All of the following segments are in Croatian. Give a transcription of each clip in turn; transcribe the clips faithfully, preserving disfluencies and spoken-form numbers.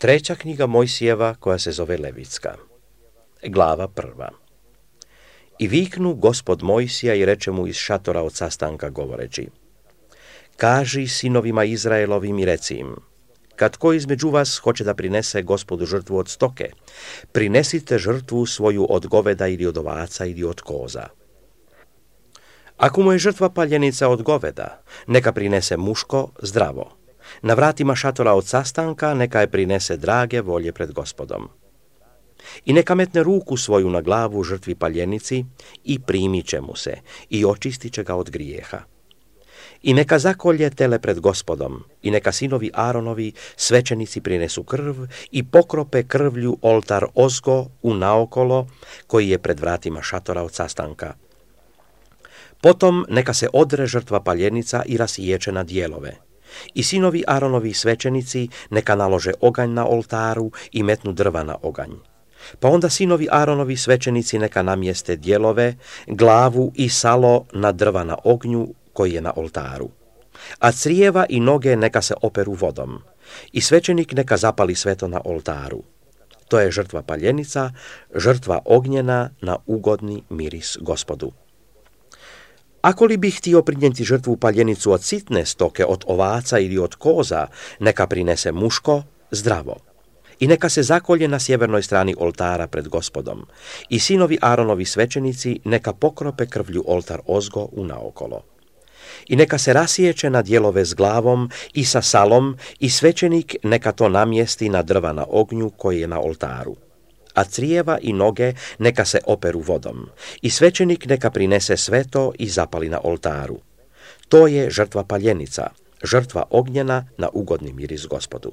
Treća knjiga Mojsijeva koja se zove Levitska. Glava prva. I viknu Gospod Mojsija i reče mu iz šatora od sastanka govoreći: Kaži sinovima Izraelovim i reci im: kad ko između vas hoće da prinese Gospodu žrtvu od stoke, prinesite žrtvu svoju od goveda ili od ovaca ili od koza. Ako mu je žrtva paljenica od goveda, neka prinese muško zdravo. Na vratima šatora od sastanka neka je prinese drage volje pred Gospodom. I neka metne ruku svoju na glavu žrtvi paljenici i primit će mu se i očistit će ga od grijeha. I neka zakolje tele pred Gospodom i neka sinovi Aronovi svećenici prinesu krv i pokrope krvlju oltar ozgo u naokolo koji je pred vratima šatora od sastanka. Potom neka se odre žrtva paljenica i rasiječe na dijelove. I sinovi Aronovi svećenici neka nalože oganj na oltaru i metnu drva na oganj. Pa onda sinovi Aronovi svećenici neka namjeste dijelove, glavu i salo na drva na ognju koji je na oltaru. A crijeva i noge neka se operu vodom. I svećenik neka zapali sve to na oltaru. To je žrtva paljenica, žrtva ognjena na ugodni miris Gospodu. Ako li bi htio prinijeti žrtvu paljenicu od sitne stoke, od ovaca ili od koza, neka prinese muško zdravo. I neka se zakolje na sjevernoj strani oltara pred Gospodom. I sinovi Aronovi svećenici neka pokrope krvlju oltar ozgo u naokolo. I neka se rasiječe na dijelove s glavom i sa salom i svećenik neka to namjesti na drva na ognju koji je na oltaru. A crijeva i noge neka se operu vodom i svećenik neka prinese sve to i zapali na oltaru. To je žrtva paljenica, žrtva ognjena na ugodni miris Gospodu.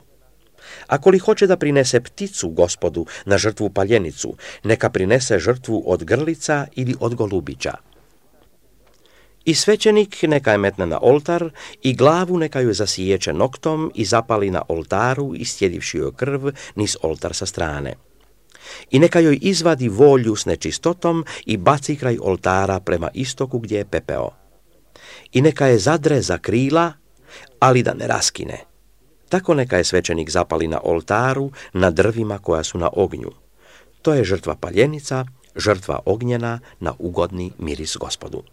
Ako li hoće da prinese pticu Gospodu na žrtvu paljenicu, neka prinese žrtvu od grlica ili od golubića. I svećenik neka je metne na oltar i glavu neka ju zasiječe noktom i zapali na oltaru istjedivši joj krv niz oltar sa strane. I neka joj izvadi volju s nečistotom i baci kraj oltara prema istoku gdje je pepeo. I neka je zadre za krila, ali da ne raskine. Tako neka je svećenik zapali na oltaru na drvima koja su na ognju. To je žrtva paljenica, žrtva ognjena na ugodni miris Gospodu.